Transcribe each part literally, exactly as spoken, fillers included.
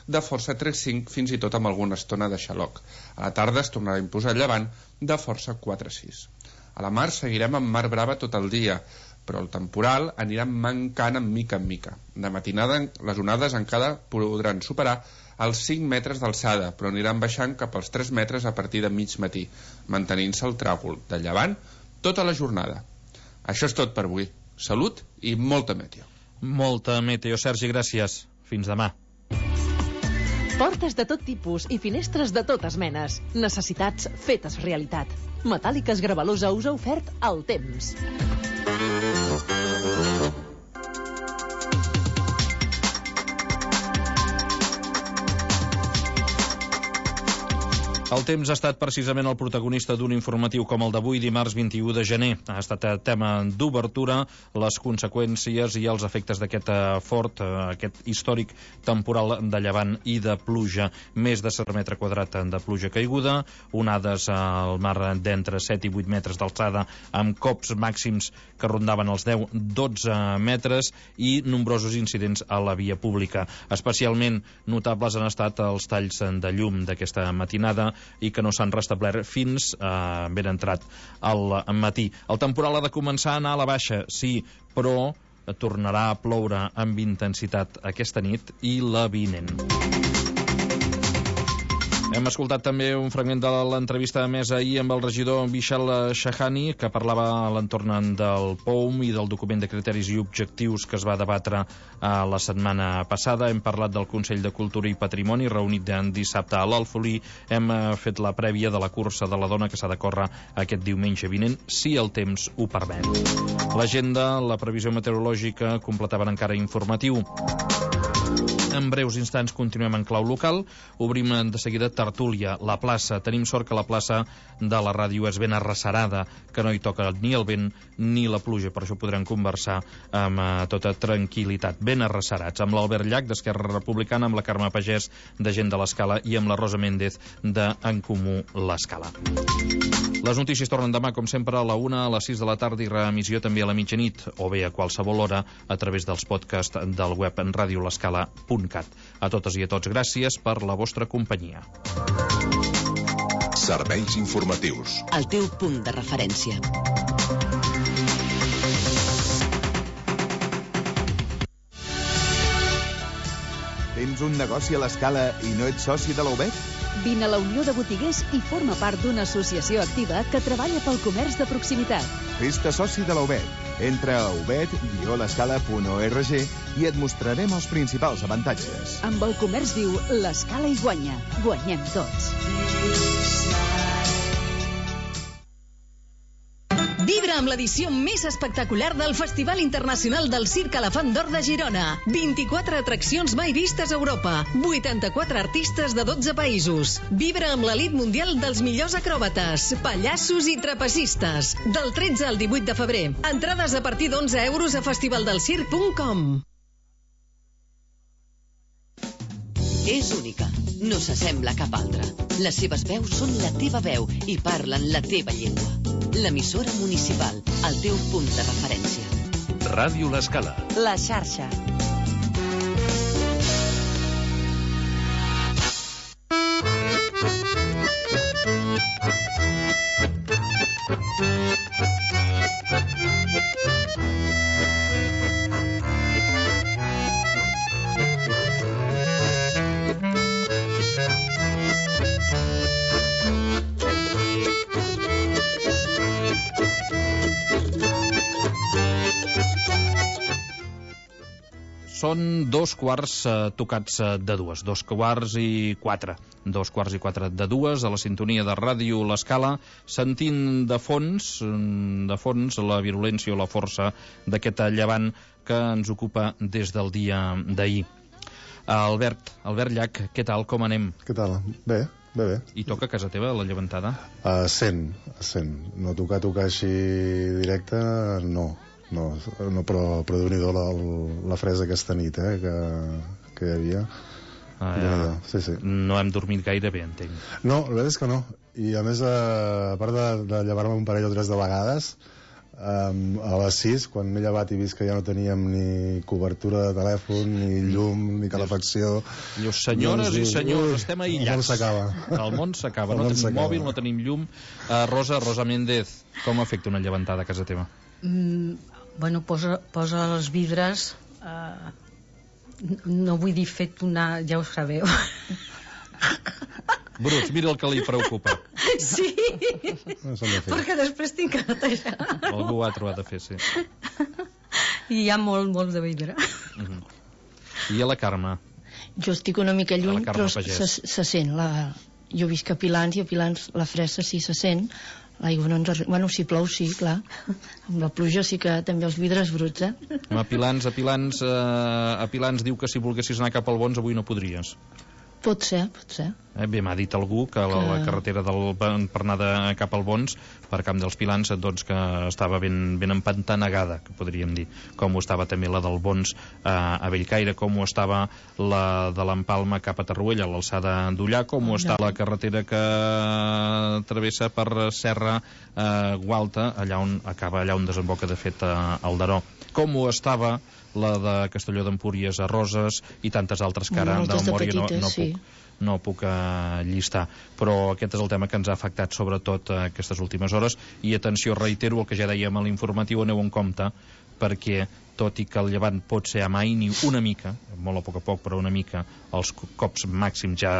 de força tres cinc, fins i tot amb alguna estona de xaloc. A la tarda es tornarà a imposar el llevant de força quatre sis. A la mar seguirem amb mar brava tot el dia, però el temporal anirà mancant en mica en mica. De matinada les onades encara podran superar els cinc metres d'alçada, però aniran baixant cap als tres metres a partir de mig matí, mantenint-se el tràgol de llevant tota la jornada. Això és tot per avui. Salut i molta meteo. Molta meteo, Sergi, gràcies. Fins demà. Portes de tot tipus i finestres de totes menes. Necessitats fetes realitat. Metàl·liques Gravalusa us ha ofert el temps. El temps ha estat precisament el protagonista d'un informatiu com el d'avui, dimarts vint-i-u de gener. Ha estat tema d'obertura, les conseqüències i els efectes d'aquest fort, aquest històric temporal de llevant i de pluja. Més de set metres quadrats de pluja caiguda, onades al mar d'entre set i vuit metres d'alçada, amb cops màxims que rondaven els deu a dotze metres i nombrosos incidents a la via pública. Especialment notables han estat els talls de llum d'aquesta matinada i que no s'han restablert fins eh, ben entrat al matí. El temporal ha de començar a anar a la baixa, sí, però tornarà a ploure amb intensitat aquesta nit i la vinent. Hem escoltat també un fragment de l'entrevista emesa ahir amb el regidor Vishal Shahani, que parlava a l'entorn del P O U M i del document de criteris i objectius que es va debatre la setmana passada. Hem parlat del Consell de Cultura i Patrimoni, reunit dissabte a l'Alfolí. Hem fet la prèvia de la cursa de la dona que s'ha de córrer aquest diumenge vinent, si el temps ho permet. L'agenda, la previsió meteorològica, completaven encara informatiu. En breus instants continuem en clau local. Obrim de seguida tertúlia, la plaça. Tenim sort que la plaça de la ràdio és ben arrecerada, que no hi toca ni el vent ni la pluja, per això podrem conversar amb uh, tota tranquil·litat, ben arrecerats, amb l'Albert Llach d'Esquerra Republicana, amb la Carme Pagès de Gent de l'Escala i amb la Rosa Méndez de En Comú l'Escala. Les notícies tornen demà, com sempre, a la una, a les sis de la tarda i reemissió també a la mitjanit, o bé a qualsevol hora a través dels podcasts del web en radio l'escala punt cat. A totes i a tots, gràcies per la vostra companyia. Serveis informatius. El teu punt de referència. Tens un negoci a l'Escala i no ets soci de la U B E T? Vine a la Unió de Botiguers i forma part d'una associació activa que treballa pel comerç de proximitat. Fes-te soci de la U B E T. Entra a ubet guió l'escala punt org i et mostrarem els principals avantatges. Amb el comerç viu, l'Escala hi guanya. Guanyem tots. Vibra amb l'edició més espectacular del Festival Internacional del Circ Elefant d'Or de Girona. vint-i-quatre atraccions mai vistes a Europa. vuitanta-quatre artistes de dotze països. Vibra amb l'elit mundial dels millors acròbates, pallassos i trapecistes. Del tretze al divuit de febrer. Entrades a partir d'onze euros a festivaldelcirc punt com. És única, no s'assembla a cap altra. Les seves veus són la teva veu i parlen la teva llengua. L'emissora municipal, el teu punt de referència. Ràdio L'Escala. La xarxa. Són dos quarts eh, tocats eh, de dues, dos quarts i quatre, dos quarts i quatre de dues, a la sintonia de Ràdio L'Escala, sentint de fons, de fons la virulència o la força d'aquest llevant que ens ocupa des del dia d'ahir. Albert, Albert Llach, què tal, com anem? Què tal? Bé, bé, bé. I toca a casa teva la llevantada? A cent, a cent. No tocar, tocar així directe, no. No, no però, però Déu-n'hi-do la, la fresa aquesta nit, eh, que, que hi havia. Ah, ja. Sí, sí. No hem dormit gaire bé, entenc. No, la veritat és que no. I a més, a part de, de llevar-me un parell o tres de vegades, Um, a les sis, quan m'he llevat i vist que ja no teníem ni cobertura de telèfon, ni llum, ni calefacció... Dius, senyores i senyors, estem aïllats. El món s'acaba. El món s'acaba, no tenim mòbil, no tenim llum. Uh, Rosa, Rosa Méndez, com afecta una llevantada a casa teva? Mm, bueno, posa, posa els vidres... Uh, no vull dir fet una... ja ho sabeu. Bruts, mira el que li preocupa. Sí, No perquè després tinc que netejar. Algú ho ha trobat a fer, sí. I hi ha molt, molt de vidre. Uh-huh. I a la Carme? Jo estic una mica lluny, però se, se sent. La... Jo visc a Pilans i a Pilans la fressa sí se sent. L'aigua no ens arriba... Bueno, si plou, sí, clar. Amb la pluja sí que també els vidres bruts, eh? A Pilans, a Pilans, eh, a Pilans diu que si volguessis anar cap al Bons avui no podries. Pot ser, pot ser. Eh, bé, m'ha dit algú que la, la carretera del, per anar de, cap al Bons, per Camp dels Pilans, doncs que estava ben, ben empantanegada, que podríem dir, com ho estava també la del Bons eh, a Bellcaire, com ho estava la de l'Empalma cap a Tarruella, a l'alçada d'Ullà, com ho està la carretera que travessa per Serra eh, Gualta, allà on acaba, allà on desemboca de fet eh, el Daró. Com ho estava la de Castelló d'Empúries a Roses i tantes altres que ara de memòria no, no sí. puc, no puc uh, llistar, però aquest és el tema que ens ha afectat sobretot uh, aquestes últimes hores. I atenció, reitero el que ja dèiem a l'informatiu, aneu en compte, perquè tot i que el llevant pot ser amaini una mica, molt a poc a poc però una mica, els cops màxims ja,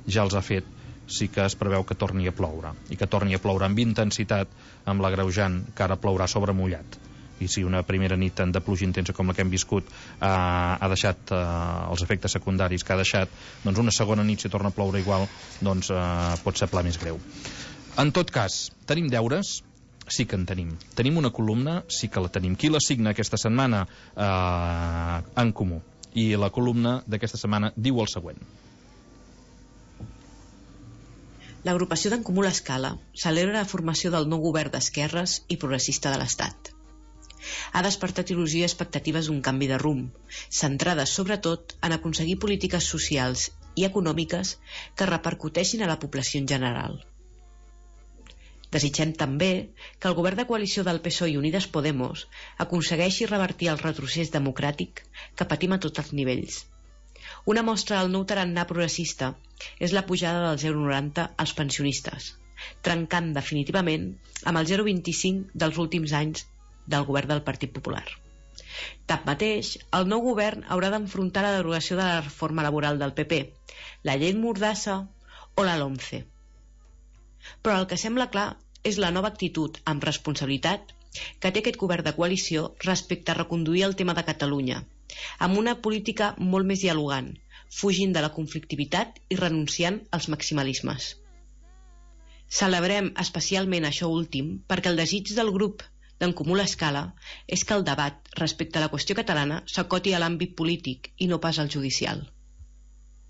ja els ha fet, sí que es preveu que torni a ploure, i que torni a ploure amb intensitat, amb l'agreujant que ara plourà sobre mullat. I si una primera nit de pluja intensa com la que hem viscut eh, ha deixat eh, els efectes secundaris que ha deixat, doncs una segona nit si torna a ploure igual, doncs eh, pot ser pla més greu. En tot cas, tenim deures? Sí que en tenim. Tenim una columna? Sí que la tenim. Qui la signa aquesta setmana? Eh, en Comú. I la columna d'aquesta setmana diu el següent. L'agrupació d'en Comú l'Escala celebra la formació del nou govern d'esquerres i progressista de l'Estat. Ha despertat il·lusió i expectatives d'un canvi de rumb, centrades sobretot en aconseguir polítiques socials i econòmiques que repercuteixin a la població en general. Desitgem també que el govern de coalició del P S O E i Unides Podemos aconsegueixi revertir el retrocés democràtic que patim a tots els nivells. Una mostra del nou tarannà progressista és la pujada del zero coma noranta als pensionistes, trencant definitivament amb el zero coma vint-i-cinc dels últims anys del govern del Partit Popular. Tanmateix, el nou govern haurà d'enfrontar la derogació de la reforma laboral del P P, la llei Mordassa o la LOMCE. Però el que sembla clar és la nova actitud amb responsabilitat que té aquest govern de coalició respecte a reconduir el tema de Catalunya, amb una política molt més dialogant, fugint de la conflictivitat i renunciant als maximalismes. Celebrem especialment això últim perquè el desig del grup d'en Comú l'Escala és que el debat respecte a la qüestió catalana s'acoti a l'àmbit polític i no pas al judicial.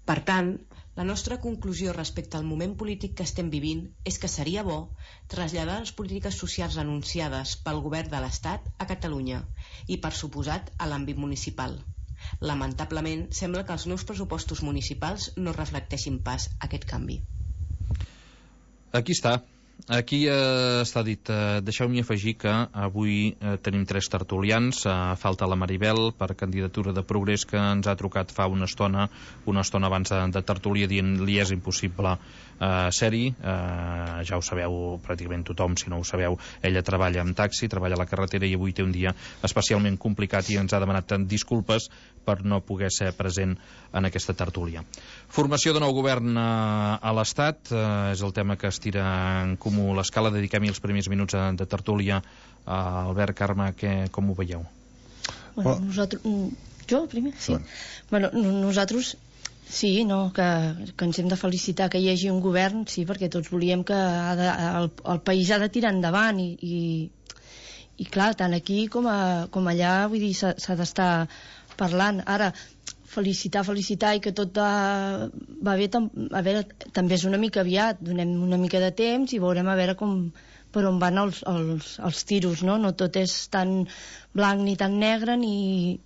Per tant, la nostra conclusió respecte al moment polític que estem vivint és que seria bo traslladar les polítiques socials anunciades pel govern de l'Estat a Catalunya i, per suposat, a l'àmbit municipal. Lamentablement, sembla que els nous pressupostos municipals no reflecteixin pas aquest canvi. Aquí està. Aquí eh, està dit. Eh, deixeu-m'hi afegir que avui eh, tenim tres tertulians. Eh, falta la Maribel per candidatura de Progrés, que ens ha trucat fa una estona una estona abans de, de tertúlia dient li és impossible eh, ser-hi. Eh, ja ho sabeu pràcticament tothom, si no ho sabeu. Ella treballa amb taxi, treballa a la carretera i avui té un dia especialment complicat i ens ha demanat disculpes per no poder ser present en aquesta tertúlia. Formació de nou govern eh, a l'Estat eh, és el tema que es tira en Comú l'Escala. Dediquem-hi els primers minuts de, de tertúlia. Uh, Albert, Carme, que, com ho veieu? Bueno, nosaltres... Jo, primer? Sí. Bueno, nosaltres sí, no, que, que ens hem de felicitar que hi hagi un govern, sí, perquè tots volíem que ha de, el, el país ha de tirar endavant i, i, i clar, tant aquí com, a, com allà, vull dir, s'ha d'estar parlant. Ara, felicitar, felicitar i que tot va, va bé, tam, a veure, també és una mica aviat, donem una mica de temps i veurem a veure com, per on van els, els, els tiros, no? No tot és tan blanc ni tan negre ni...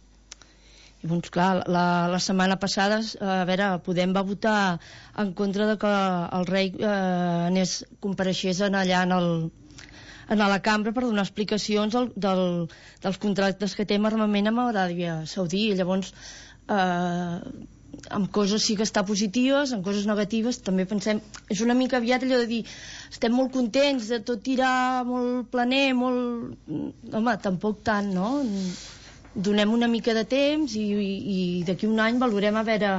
I doncs clar, la, la setmana passada, a veure, Podem va votar en contra de que el rei eh, anés, compareixés allà en el, anar a la cambra per donar explicacions del, del, dels contractes que té amb armament amb Aràbia Saudí. Llavors, eh, amb coses sí que està positives, amb coses negatives també pensem, és una mica aviat allò de dir estem molt contents de tot tirar molt planer, molt... home, tampoc tant, no? Donem una mica de temps i, i, i d'aquí un any valorem a veure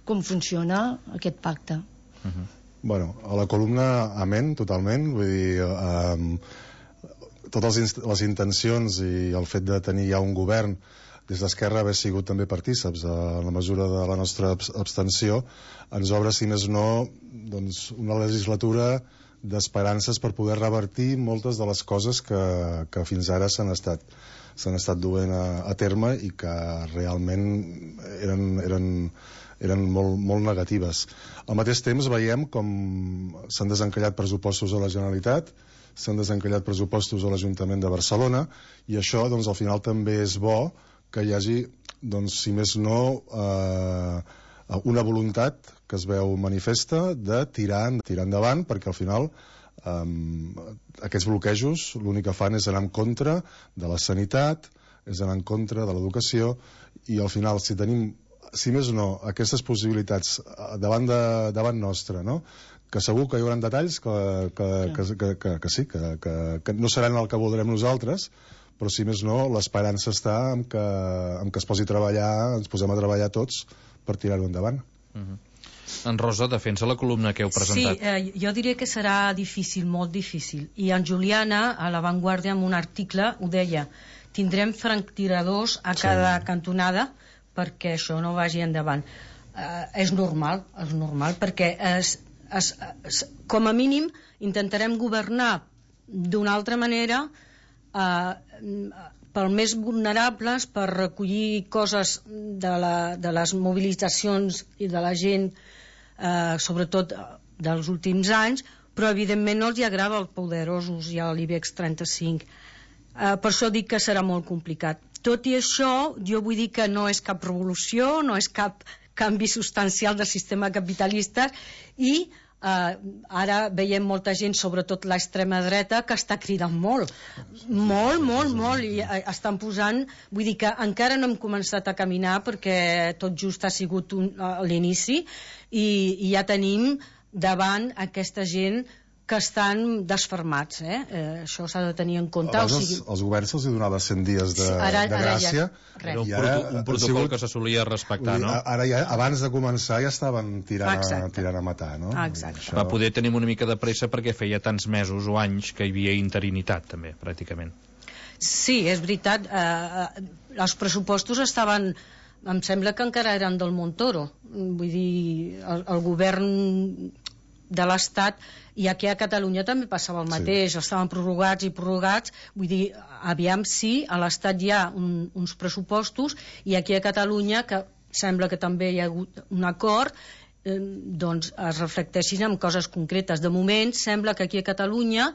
com funciona aquest pacte. Uh-huh. Bueno, a la columna amén, totalment, vull dir, eh, totes les, les intencions i el fet de tenir ja un govern des d'Esquerra haver sigut també partíceps en la mesura de la nostra abstenció ens obre, si més no, doncs una legislatura d'esperances per poder revertir moltes de les coses que, que fins ara s'han estat s'han estat duent a, a terme i que realment eren, eren, eren molt, molt negatives. Al mateix temps veiem com s'han desencallat pressupostos a la Generalitat, s'han desencallat pressupostos a l'Ajuntament de Barcelona i això, doncs, al final també és bo que hi hagi, doncs, si més no, eh, una voluntat que es veu manifesta de tirar, tirar endavant, perquè al final eh, aquests bloquejos l'únic que fan és anar en contra de la sanitat, és anar en contra de l'educació, i al final, si tenim, si més no, aquestes possibilitats davant, de, davant nostra, no?, que segur que hi haurà detalls que, que, que, que, que, que sí, que, que, que no seran el que voldrem nosaltres, però si més no, l'esperança està en que, en que es posi a treballar, ens posem a treballar tots per tirar-ho endavant. Uh-huh. En Rosa, defensa la columna que heu presentat. Sí, eh, jo diria que serà difícil, molt difícil. I en Juliana, a La Vanguardia, en un article, ho deia, tindrem franctiradors a cada sí. cantonada perquè això no vagi endavant. Eh, és normal, és normal, perquè es, es, es, com a mínim intentarem governar d'una altra manera Uh, per més vulnerables, per recollir coses de, la, de les mobilitzacions i de la gent, uh, sobretot dels últims anys, però evidentment no els hi agrada als poderosos i a l'IBEX trenta-cinc. Uh, per això dic que serà molt complicat. Tot i això, jo vull dir que no és cap revolució, no és cap canvi substancial del sistema capitalista i Uh, ara veiem molta gent, sobretot l'extrema dreta, que està cridant molt molt, molt, molt i uh, estan posant, vull dir que encara no hem començat a caminar perquè tot just ha sigut un, uh, l'inici i, i ja tenim davant aquesta gent que estan desfermats, eh? Eh, això s'ha de tenir en compte. Abans o sigui... els, els governs se'ls donava cent dies de, sí, ara, de gràcia. Ara ja, era un, ara, proto, un protocol sigut, que se solia respectar, no? Ara ja, abans de començar ja estaven tirant, a, tirant a matar, no? Exacte. Això... Va poder tenir una mica de pressa perquè feia tants mesos o anys que hi havia interinitat, també, pràcticament. Sí, és veritat. Eh, els pressupostos estaven... Em sembla que encara eren del Montoro. Vull dir, el, el govern de l'Estat, i aquí a Catalunya també passava el mateix, sí. Estaven prorrogats i prorrogats, vull dir, aviam si a l'Estat hi ha un, uns pressupostos i aquí a Catalunya, que sembla que també hi ha hagut un acord, eh, doncs es reflecteixin en coses concretes. De moment sembla que aquí a Catalunya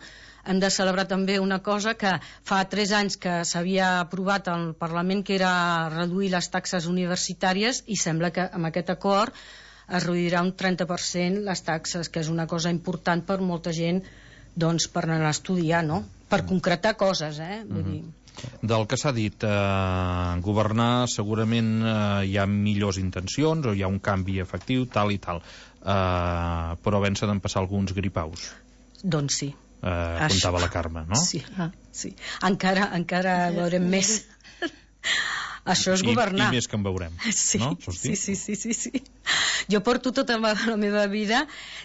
hem de celebrar també una cosa que fa tres anys que s'havia aprovat al Parlament, que era reduir les taxes universitàries, i sembla que amb aquest acord es reduirà un trenta per cent les taxes, que és una cosa important per molta gent, doncs, per anar a estudiar, no? Per concretar coses, eh? Vull dir... Del que s'ha dit, eh, governar segurament eh, hi ha millors intencions o hi ha un canvi efectiu, tal i tal, eh, però ben s'han passar alguns gripaus. Doncs sí. Eh, contava la Carme, no? Sí, ah, sí. Encara, encara veurem més. Això és governar. I, i més que en veurem, sí, no? Sí, sí, sí, sí, sí. Jo porto tota la meva vida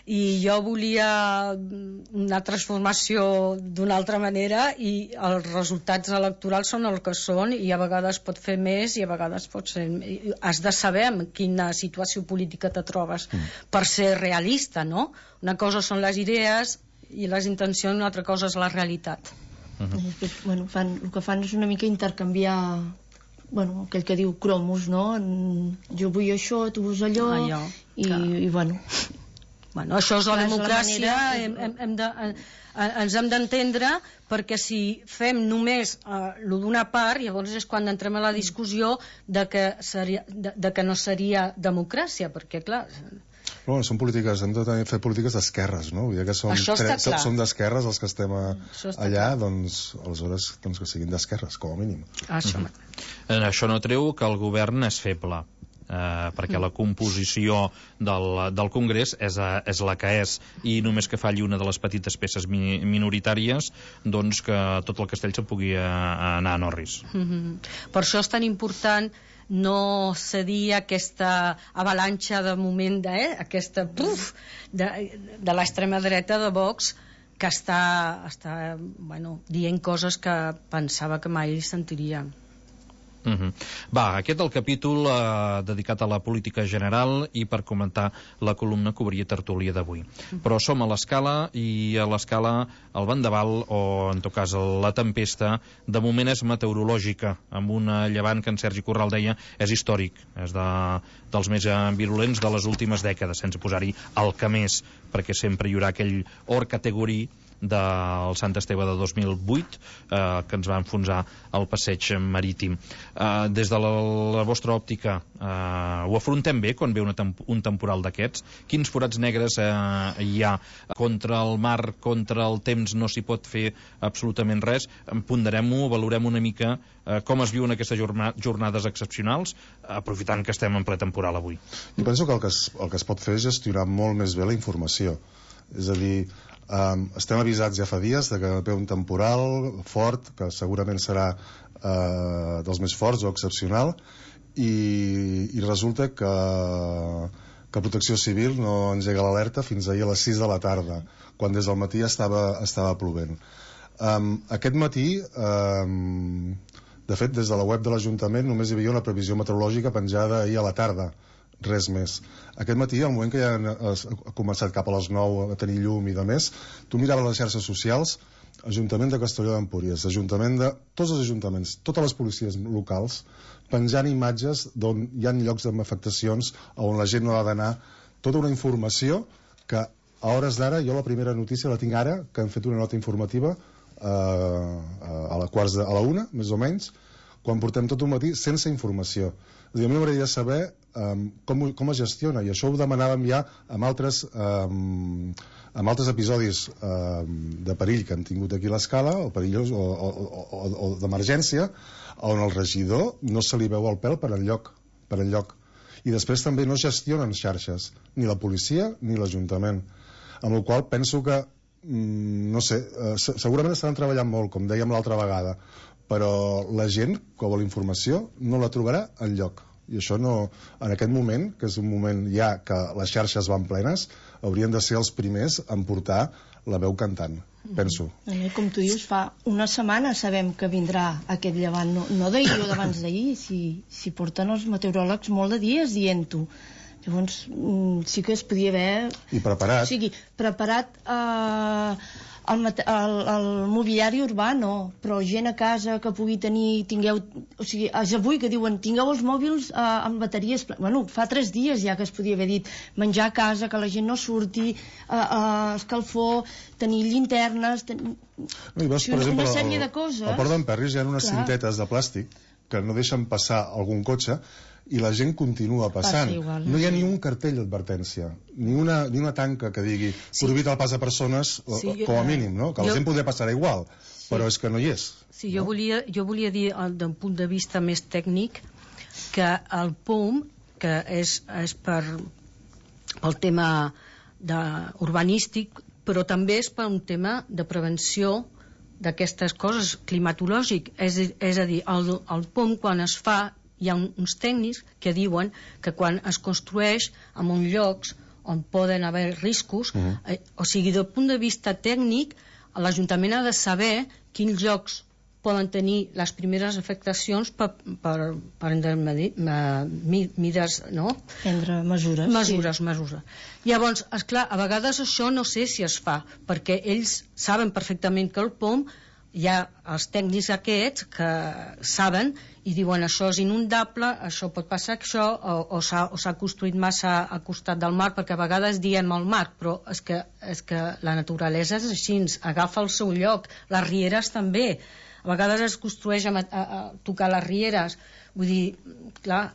i jo volia una transformació d'una altra manera i els resultats electorals són el que són i a vegades pot fer més i a vegades pot ser... Has de saber en quina situació política te trobes mm. per ser realista, no? Una cosa són les idees i les intencions, una altra cosa és la realitat. Uh-huh. Bueno, fan, el que fan és una mica intercanviar... bueno, aquell que diu cromos, no? Jo vull això, tu vols allò, allò i, i bueno... Bueno, això és la democràcia, la manera... hem, hem, hem de, eh, ens hem d'entendre, perquè si fem només eh, lo d'una part, llavors és quan entrem a la discussió de que, seria, de, de que no seria democràcia, perquè clar... Però, bueno, són polítiques, hem de fer polítiques d'esquerres, no? Vull dir que som, tre, som d'esquerres els que estem a, allà, clar. Doncs aleshores doncs, que siguin d'esquerres, com a mínim. Això, mm -hmm. Això no treu que el govern és feble. Eh, perquè la composició del, del Congrés és, a, és la que és, i només que falli una de les petites peces mi, minoritàries, doncs que tot el castell se'n pugui a, a anar a Norris. Mm-hmm. Per això és tan important no cedir aquesta avalanxa de moment de, eh, aquesta puf, de, de l'extrema dreta de Vox, que està, està bueno, dient coses que pensava que mai sentiria. Uh -huh. Va, aquest el capítol eh, dedicat a la política general i per comentar la columna que obria tertúlia d'avui. Uh -huh. Però som a l'Escala, i a l'Escala el vendaval, o en tot cas la tempesta, de moment és meteorològica, amb un llevant que en Sergi Corral deia és històric, és de, dels més virulents de les últimes dècades, sense posar-hi el que més, perquè sempre hi haurà aquell or categorí del Sant Esteve de dos mil vuit eh, que ens va enfonsar al passeig marítim. Eh, des de la, la vostra òptica eh, ho afrontem bé quan ve una temp un temporal d'aquests? Quins forats negres eh, hi ha? Contra el mar, contra el temps no s'hi pot fer absolutament res. Ponderem-ho, valorem una mica eh, com es viuen aquestes jornades excepcionals, aprofitant que estem en ple temporal avui. Jo penso que el que es, el que es pot fer és gestionar molt més bé la informació. És a dir, Um, estem avisats ja fa dies de que ve un temporal fort, que segurament serà uh, dels més forts o excepcional, i, i resulta que, que Protecció Civil no engega l'alerta fins ahir a les sis de la tarda, quan des del matí estava, estava plovent. Um, aquest matí, um, de fet, des de la web de l'Ajuntament només hi havia una previsió meteorològica penjada ahir a la tarda, res més. Aquest matí, al moment que ja ha començat cap a les nou a tenir llum i de més, tu miraves les xarxes socials, Ajuntament de Castelló d'Empúries, Ajuntament de... tots els ajuntaments, totes les policies locals, penjant imatges d'on hi ha llocs amb afectacions, on la gent no ha d'anar, tota una informació que a hores d'ara, jo la primera notícia la tinc ara, que han fet una nota informativa eh, a la quarts de, a la una, més o menys, quan portem tot un matí sense informació. És a dir, a mi m'agradaria saber um, com, com es gestiona, i això ho demanàvem ja amb altres, um, amb altres episodis um, de perill que han tingut aquí a l'Escala, o perillós, o, o, o, o d'emergència, on el regidor no se li veu el pèl per enlloc, per enlloc. I després també no gestionen xarxes, ni la policia ni l'Ajuntament. Amb la qual penso que, mm, no sé, eh, segurament estaran treballant molt, com dèiem l'altra vegada, però la gent que vol informació no la trobarà enlloc. I això no, en aquest moment, que és un moment ja que les xarxes van plenes, haurien de ser els primers en portar la veu cantant, penso. Mm. Com tu dius, fa una setmana sabem que vindrà aquest llevant, no, no d'ahir o d'abans d'ahir, si, si porten els meteoròlegs molt de dies dient-ho. Llavors, sí que es podia haver... I preparat. O sigui, preparat eh, el, el, el mobiliari urbà, no, però gent a casa que pugui tenir, tingueu... O sigui, és avui que diuen, tingueu els mòbils eh, amb bateries... Bueno, fa tres dies ja que es podia haver dit menjar a casa, que la gent no surti, eh, eh, escalfor, tenir llinternes... Ten... No, i veus, per una exemple, sèrie el, de coses... Al Port d'en Perris hi ha unes Clar. cintetes de plàstic que no deixen passar algun cotxe, i la gent continua passant. Igual, no hi ha ni un cartell d'advertència, ni una, ni una tanca que digui sí. prohibit el pas a persones, sí, com a mínim, no? Que jo... la gent podria passar igual, sí. però és que no hi és. Sí, no? jo, volia, jo volia dir, d'un punt de vista més tècnic, que el P O M, que és, és per, pel tema de, urbanístic, però també és per un tema de prevenció d'aquestes coses, climatològic. És, és a dir, el, el P O M, quan es fa, hi ha uns tècnics que diuen que quan es construeix en uns llocs on poden haver riscos, uh-huh. eh, o sigui, del punt de vista tècnic, l'Ajuntament ha de saber quins llocs poden tenir les primeres afectacions per, per, per mides, no? Prendre mesures. Mesures, sí. mesures. Llavors, esclar, a vegades això no sé si es fa, perquè ells saben perfectament que el P O M hi ha els tècnics aquests que saben i diuen això és inundable, això pot passar això, o, o s'ha construït massa al costat del mar, perquè a vegades diem al mar, però és que, és que la naturalesa és així, agafa el seu lloc, les rieres també, a vegades es construeix a, a, a tocar les rieres, vull dir, clar,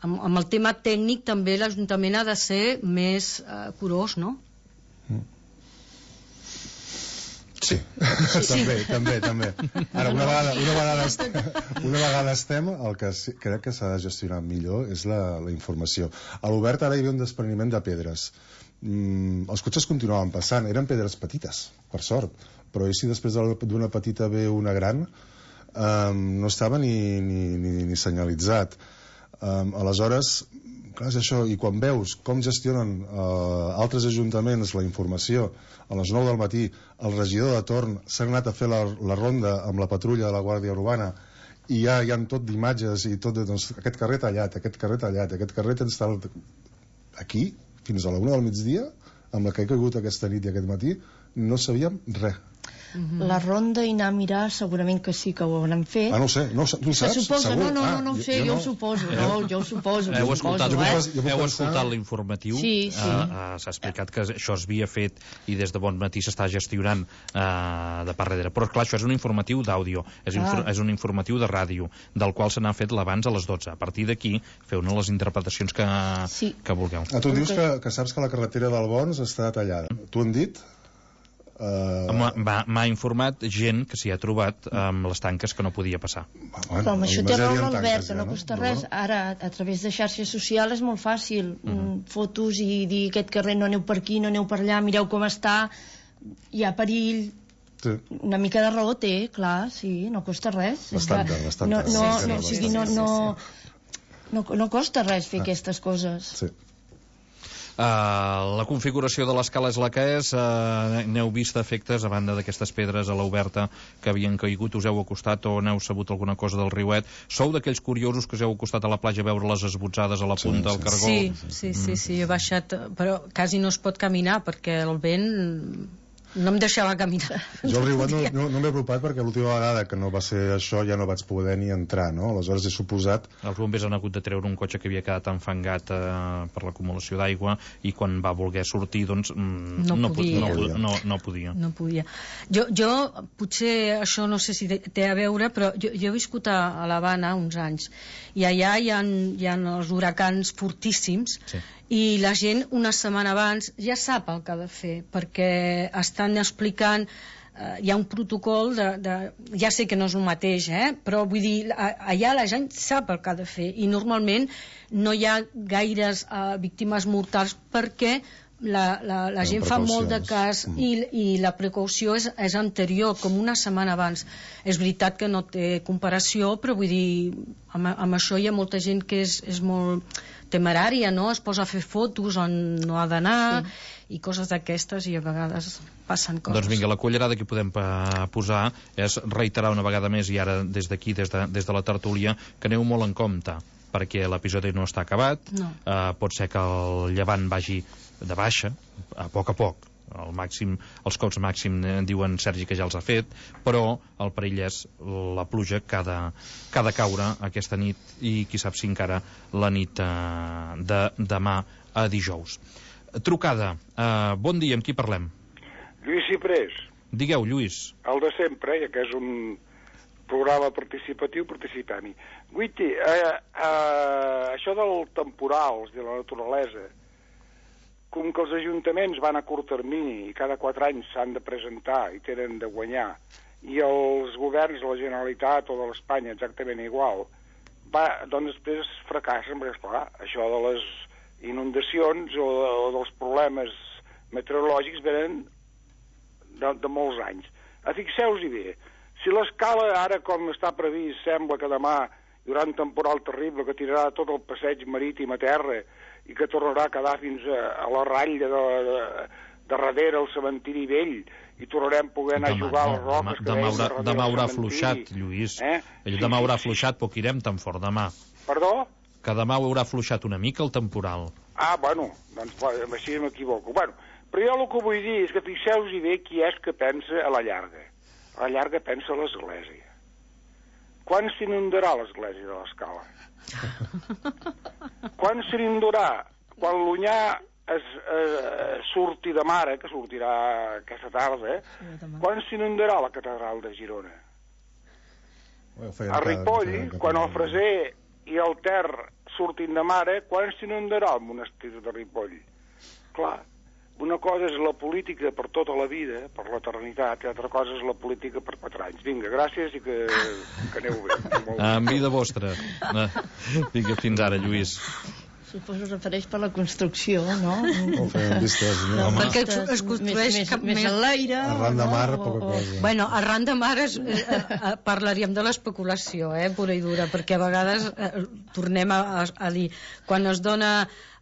amb, amb el tema tècnic també l'Ajuntament ha de ser més eh, curós, no? Sí, sí. també, també, també. Ara, una vegada, una vegada, estem, una vegada estem, el que sí, crec que s'ha de gestionar millor és la, la informació. A l'Obert ara hi havia un despreniment de pedres. Mm, els cotxes continuaven passant, eren pedres petites, per sort, però i si després d'una petita ve una gran, um, no estava ni, ni, ni, ni senyalitzat. Um, aleshores, clar, és això, i quan veus com gestionen uh, altres ajuntaments la informació, a les nou del matí el regidor de torn s'ha anat a fer la, la ronda amb la patrulla de la Guàrdia Urbana i ja hi ha tot d'imatges i tot de, doncs, aquest carrer tallat, aquest carrer tallat, aquest carrer està aquí, fins a la una del migdia, amb la que he caigut aquesta nit i aquest matí, no sabíem res. Mm-hmm. La ronda i anar a mirar segurament que sí que ho hauran fet. Ah, no ho sé, no, tu ho saps? Se suposa, segur? no, no, no, no ho ah, sé, jo, jo, no. ho suposo, no, jo ho suposo. Heu escoltat, suposo, eh? Heu pensar... escoltat l'informatiu? Sí, sí. Uh, uh, s'ha explicat que això es havia fet i des de bon matí s'està gestionant uh, de part darrere. Però, clar, això és un informatiu d'àudio, és, infor és un informatiu de ràdio, del qual se n'ha fet l'abans a les dotze. A partir d'aquí, feu-ne les interpretacions que, sí. que vulgueu. Ah, tu dius que, que saps que la carretera del Bons està tallada. T'ho han dit? Uh... M'ha informat gent que s'hi ha trobat amb les tanques que no podia passar. Bueno, però amb això té raó l'Albert, que no costa res. Ara, a través de xarxes socials és molt fàcil. Uh -huh. Fotos i dir aquest carrer no aneu per aquí, no aneu per allà, mireu com està, hi ha perill. Sí. Una mica de raó té, clar, sí, no costa res. Bastant, bastant. No, no, sí, no, sí, sí, no, no, no, no costa res fer ah. aquestes coses. Sí. Uh, la configuració de l'escala és la que és. Uh, n'heu vist efectes a banda d'aquestes pedres a l'Oberta que havien caigut, us heu acostat o n'heu sabut alguna cosa del riuet? Sou d'aquells curiosos que us heu acostat a la platja a veure les esbotzades a la punta del cargol? Sí, sí, sí, sí, he baixat, però quasi no es pot caminar perquè el vent no em deixava caminar. Jo al riuet no, no, no m'he apropat perquè l'última vegada que no va ser això ja no vaig poder ni entrar, no? Aleshores he suposat... Els bombers han hagut de treure un cotxe que havia quedat enfangat eh, per l'acumulació d'aigua i quan va voler sortir, doncs mm, no, no, podia. No, no, no podia. No podia. Jo, jo, potser això no sé si té a veure, però jo, jo he viscut a, a l'Havana uns anys i allà hi ha, hi ha els huracans fortíssims, sí. I la gent una setmana abans ja sap el que ha de fer perquè estan explicant, eh, hi ha un protocol de, de, ja sé que no és el mateix, eh? Però vull dir, allà la gent sap el que ha de fer i normalment no hi ha gaires eh, víctimes mortals perquè la, la, la gent fa molt de cas mm. i, i la precaució és, és anterior, com una setmana abans. És veritat que no té comparació, però vull dir, amb, amb això hi ha molta gent que és, és molt temerària, no? Es posa a fer fotos on no ha d'anar sí. I coses d'aquestes i a vegades passen coses. Doncs vinga, la cullerada que podem posar és reiterar una vegada més i ara des d'aquí, des, de, des de la tertúlia, que aneu molt en compte perquè l'episodi no està acabat, no. uh, pot ser que el llevant vagi de baixa, a poc a poc, el màxim, els cops màxim eh, diuen Sergi que ja els ha fet, però el perill és la pluja que ha de, que ha de caure aquesta nit i qui sap si encara la nit eh, de demà a dijous. Trucada, eh, bon dia, amb qui parlem? Lluís Ciprés. Digueu, Lluís. El de sempre, ja que és un programa participatiu participant-hi. Guiti, eh, eh, això dels temporals de la naturalesa, com que els ajuntaments van a curt termini i cada quatre anys s'han de presentar i tenen de guanyar, i els governs de la Generalitat o de l'Espanya exactament igual, va, doncs després fracassen, perquè esclar, això de les inundacions o, de, o dels problemes meteorològics venen de, de molts anys. Fixeu-vos-hi bé, si l'escala ara com està previst sembla que demà hi haurà un temporal terrible que tirarà tot el passeig marítim a terra i que tornarà a quedar fins a, a la ratlla de, de, de darrere al cementiri vell i tornarem poder anar demà, a jugar a les roques demà, demà, haurà, demà haurà afluixat, Lluís eh? sí, demà haurà sí, afluixat, sí. Poc irem tan fort demà. Perdó? Que demà haurà afluixat una mica el temporal. Ah, bueno, doncs així m'equivoco. Bueno, però jo el que vull dir és que fixeu-vos-hi bé qui és que pensa a la llarga. A la llarga pensa a l'Església. Quan s'inundarà l'Església de l'Escala? Quan s'inundarà? Quan l'Onyà es, eh, surti de mare, que sortirà aquesta tarda, eh? Quan s'inundarà la catedral de Girona? A Ripoll, quan el Freser i el Ter surtin de mare, quan s'inundarà el monestir de Ripoll? Clar, una cosa és la política per tota la vida, per l'eternitat, i altra cosa és la política per quatre anys. Vinga, gràcies i que, que aneu bé. En vida vostra. Vinga, fins ara, Lluís. Suposo que refereix per la construcció, no? O fem vistes, no? No, perquè es construeix més, cap més, més a l'aire. Arran de mar, no? poca cosa. Bueno, arran de mar es, eh, eh, parlaríem de l'especulació, eh, pura i dura, perquè a vegades eh, tornem a, a, a dir, quan es dona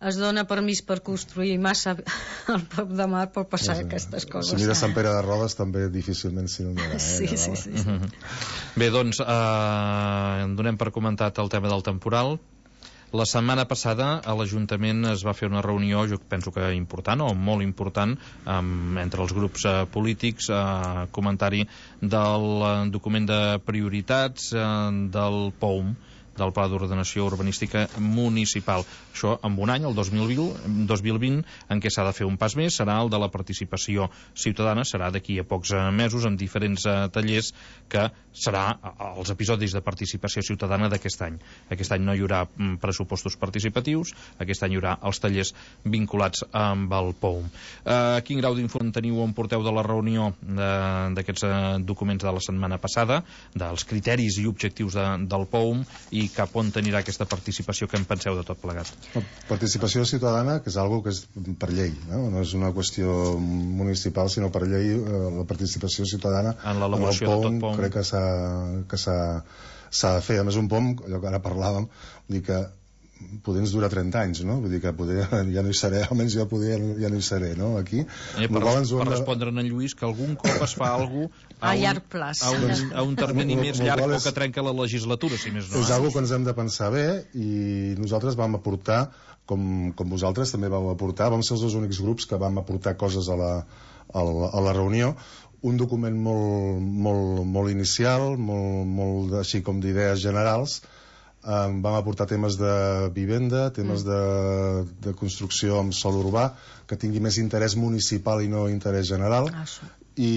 es dona permís per construir massa al prop de mar pot passar sí, sí. aquestes coses. Si mires Sant Pere de Rodes també difícilment s'inundarà. Eh, sí, sí, sí, sí. Mm -hmm. Bé, doncs, eh, donem per comentat el tema del temporal. La setmana passada a l'Ajuntament es va fer una reunió, jo penso que important o molt important, um, entre els grups uh, polítics, uh, comentari del uh, document de prioritats uh, del P O U M, del Pla d'Ordenació Urbanística Municipal. Això amb un any, el dos mil vint, en què s'ha de fer un pas més, serà el de la participació ciutadana, serà d'aquí a pocs mesos, amb diferents uh, tallers, que serà els episodis de participació ciutadana d'aquest any. Aquest any no hi haurà mm, pressupostos participatius, aquest any hi haurà els tallers vinculats amb el P O U M. Uh, quin grau d'informació teniu on porteu de la reunió d'aquests uh, documents de la setmana passada, dels criteris i objectius de, del P O U M, i cap on anirà aquesta participació, que en penseu de tot plegat? Participació ciutadana, que és algo que és per llei, no, no és una qüestió municipal, sinó per llei. La participació ciutadana en l'elaboració de tot P O U M crec que s'ha que s'ha de fer. A més, un P O U M, allò que ara parlàvem, vull dir que poder ens dura trenta anys, no? Vull dir que poder ja no hi seré, almenys jo poder ja no hi seré, no? Aquí. Eh, per, res, per respondre a en Lluís, que algun cop es fa alguna cosa a, a llarg plaç, a un, a un termini més llarg o que trenca la legislatura, si més no. És algo que ens hem de pensar bé, i nosaltres vam aportar, com, com vosaltres també vau aportar, vam ser els dos únics grups que vam aportar coses a la, a la, a la reunió, un document molt, molt, molt inicial, molt, molt així com d'idees generals. Um, vam aportar temes de vivenda, temes mm. de, de construcció amb sòl urbà, que tingui més interès municipal i no interès general. Ah, sí. I,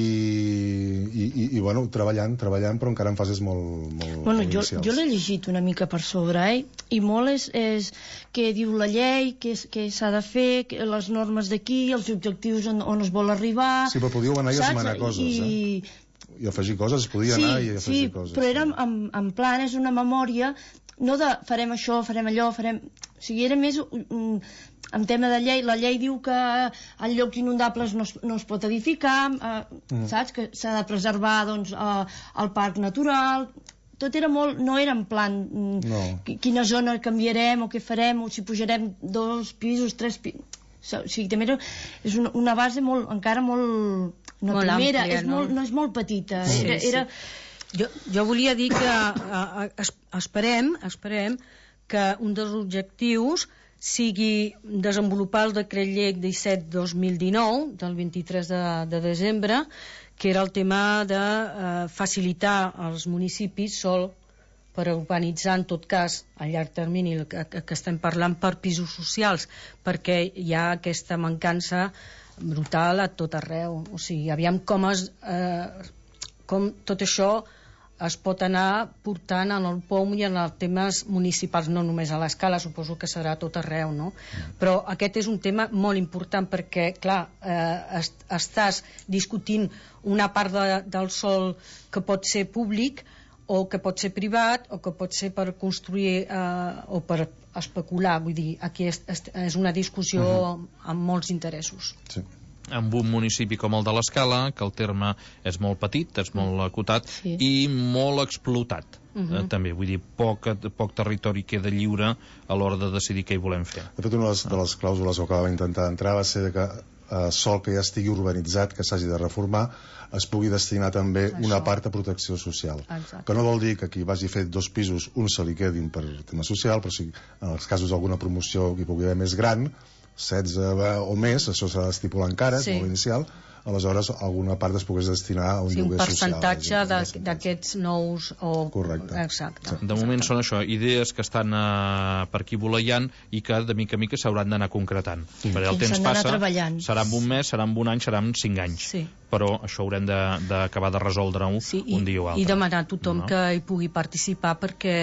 i, i, i bueno, treballant, treballant, però encara en fases molt, molt, bueno, molt jo, inicials. Jo l'he llegit una mica per sobre, eh? I molt és, és què diu la llei, què, què s'ha de fer, que, les normes d'aquí, els objectius on, on es vol arribar... Sí, però podíeu anar i esmenar coses, I... eh? I afegir coses, es podia sí, anar i afegir sí, coses. Sí, però era en, en plan, és una memòria, no de farem això, farem allò, farem... O sigui, era més um, en tema de llei. La llei diu que en llocs inundables no es, no es pot edificar, uh, mm. saps? Que s'ha de preservar, doncs, uh, el parc natural... Tot era molt... No era en plan... No. Quina zona canviarem o què farem, o si pujarem dos pisos, tres pisos... O sigui, també era, és una, una base molt, encara molt... No, molt primera, àmplia, és no? Molt, no és molt petita. Sí, era... sí. era... Jo, jo volia dir que a, a, es, esperem, esperem que un dels objectius sigui desenvolupar el decret llei disset dos mil dinou, del vint-i-tres de, de desembre, que era el tema de eh, facilitar als municipis sol per urbanitzar, en tot cas, a llarg termini, que, que estem parlant per pisos socials, perquè hi ha aquesta mancança brutal a tot arreu. O sigui, aviam com, es, eh, com tot això es pot anar portant en el P O U M i en els temes municipals, no només a l'escala, suposo que serà a tot arreu, no? Però aquest és un tema molt important perquè, clar, eh, est estàs discutint una part de, del sòl que pot ser públic o que pot ser privat o que pot ser per construir eh, o per especular, vull dir, aquí és, és una discussió uh-huh. amb molts interessos. Sí. Amb un municipi com el de l'Escala, que el terme és molt petit, és molt acotat sí. i molt explotat. Uh-huh. eh, també, vull dir, poc, poc territori queda lliure a l'hora de decidir què hi volem fer. De fet, una de les, de les clàusules que va intentar entrar va ser que eh, sol que ja estigui urbanitzat, que s'hagi de reformar, es pugui destinar també Això. una part a protecció social. Exacte. Que no vol dir que qui vagi fet dos pisos, un se li quedin per tema social, però si en els casos d'alguna promoció que hi pugui haver més gran, setze o més, això s'ha d'estipular encara, sí. és molt inicial, aleshores alguna part es pogués destinar a un sí, lloguer social. Un percentatge d'aquests nous... O... Correcte. Exacte. De moment són això, idees que estan eh, per aquí voleiant i que de mica a mica s'hauran d'anar concretant. Sí. Perquè el temps passa, serà en un mes, serà en un any, serà en cinc anys. Sí. Però això haurem d'acabar de, de resoldre-ho sí, un dia o altre. I demanar a tothom no? que hi pugui participar perquè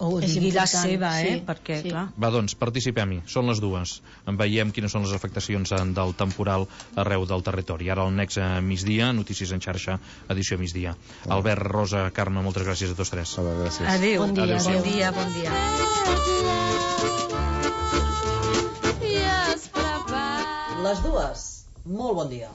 o digui la seva, eh? Sí, perquè, sí. clar... Va, doncs, participem-hi. Són les dues. En veiem quines són les afectacions del temporal arreu del territori. Ara el Nexe migdia, Notícies en xarxa, edició migdia. Ah. Albert, Rosa, Carme, moltes gràcies a tots tres. Ah, gràcies. Adéu. Bon dia. Adéu. Bon dia, bon dia. Les dues. Molt bon dia.